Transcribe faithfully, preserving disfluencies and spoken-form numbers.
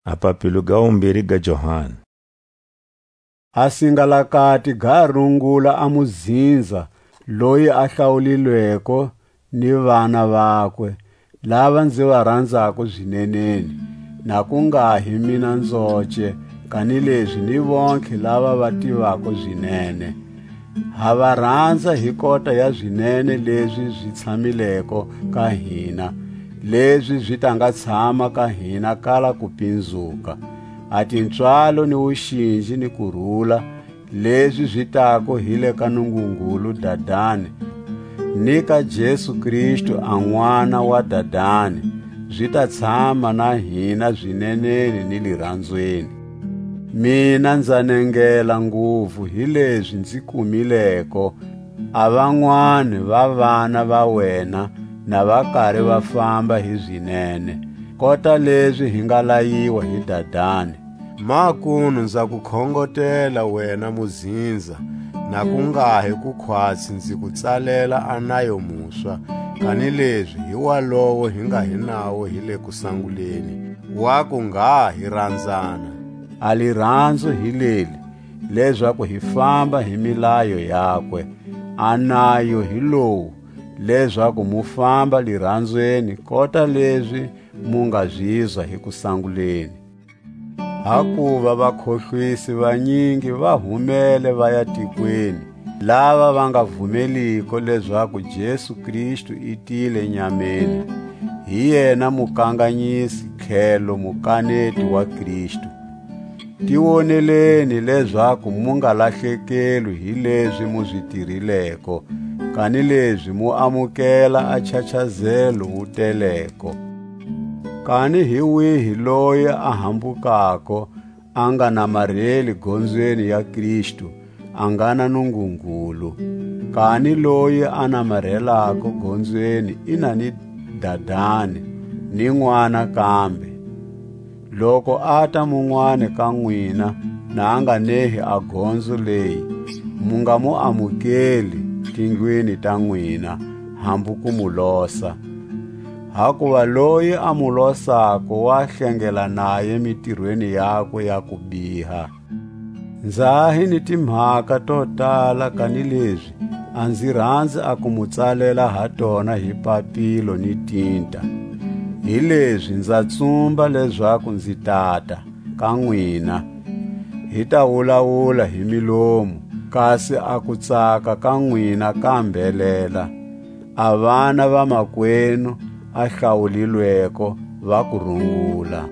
A papilo ga wumbiri ga Johani. A singalakati ga rungula a muzinza loyi a hlawulilweko ni vana vakwe, lava nzi va ranzako zineneni, na ku nga hi mina nzoce, kanilezi ni vontlhe lava va tivako zinene. Ha va ranza hi kota ya zinene lezi zi tshamileko ka hina, lezi zi ta nga tshama ka hina kala kupinzuka. A tipswalo ni wuxinji ni kurula, lezi zi tako hi le ka Nungungulu Dadani, ni ka Jesu Kristu a N'wana wa Dadani, zi ta tshama na hina zineneni ni liranzweni. Mina nza nengela nguvu hilezi nzi kumileko a vanwani va vana va wena na va kari va famba hi zinene, kota lezi hi nga layiwa hi Dadani. Makunu nza ku khongotela wena muzinza, na ku nga hi ku khwatsi nzi ku tsalela a nayo muswa, kanilezi hi walowo hi nga hi nawo hi le kusanguleni, wa ku ngha hi ranzana. A liranzo hi leli, lezaku hi famba hi milayo yakwe. A nayo hi lowu, lezaku mu famba liranzweni kota lezi mu nga zizwa hi kusanguleni. Hakuva vakhohlwisi vanyingi va humele va ya tikweni, lava va nga vumeliko lezaku Jesu Kristu i tile nyameni, hi yena mukanganyisi tlhelo mukaneti wa Kristu. Ti woneleni lezaku mu nga lahlekelwi hi lezi mu zi tirileko, kanilezi mu amukela a nchachazelo wu teleko. Kani hi wihi loyi a hambukako, a nga namarheli gonzweni ya Kristu, a nga na Nungungulu. Kani loyi a namarhelako gonzweni i na ni Dadani, ni N'wana kambe. Loku a ta munwani ka nwina, na a nga nehi a gonzo leyi, mu nga mu amukeli tindlwini ta nwina, hambu ku mu losa. Hakuva loyi a mu losako wa hlengela naye mitirweni yakwe ya kubiha. Nza hi ni timhaka to tala, kanilezi a nzi ranzi a ku mu tsalela ha tona hi papilo ni tinta. Hilezi nza tsumba lezaku nzi tata ka nwina, hi ta wulawula hi milomu, kasi a kutsaka ka nwina ka mbelela. A vana va makwenu a hlawulilweko va ku rungula.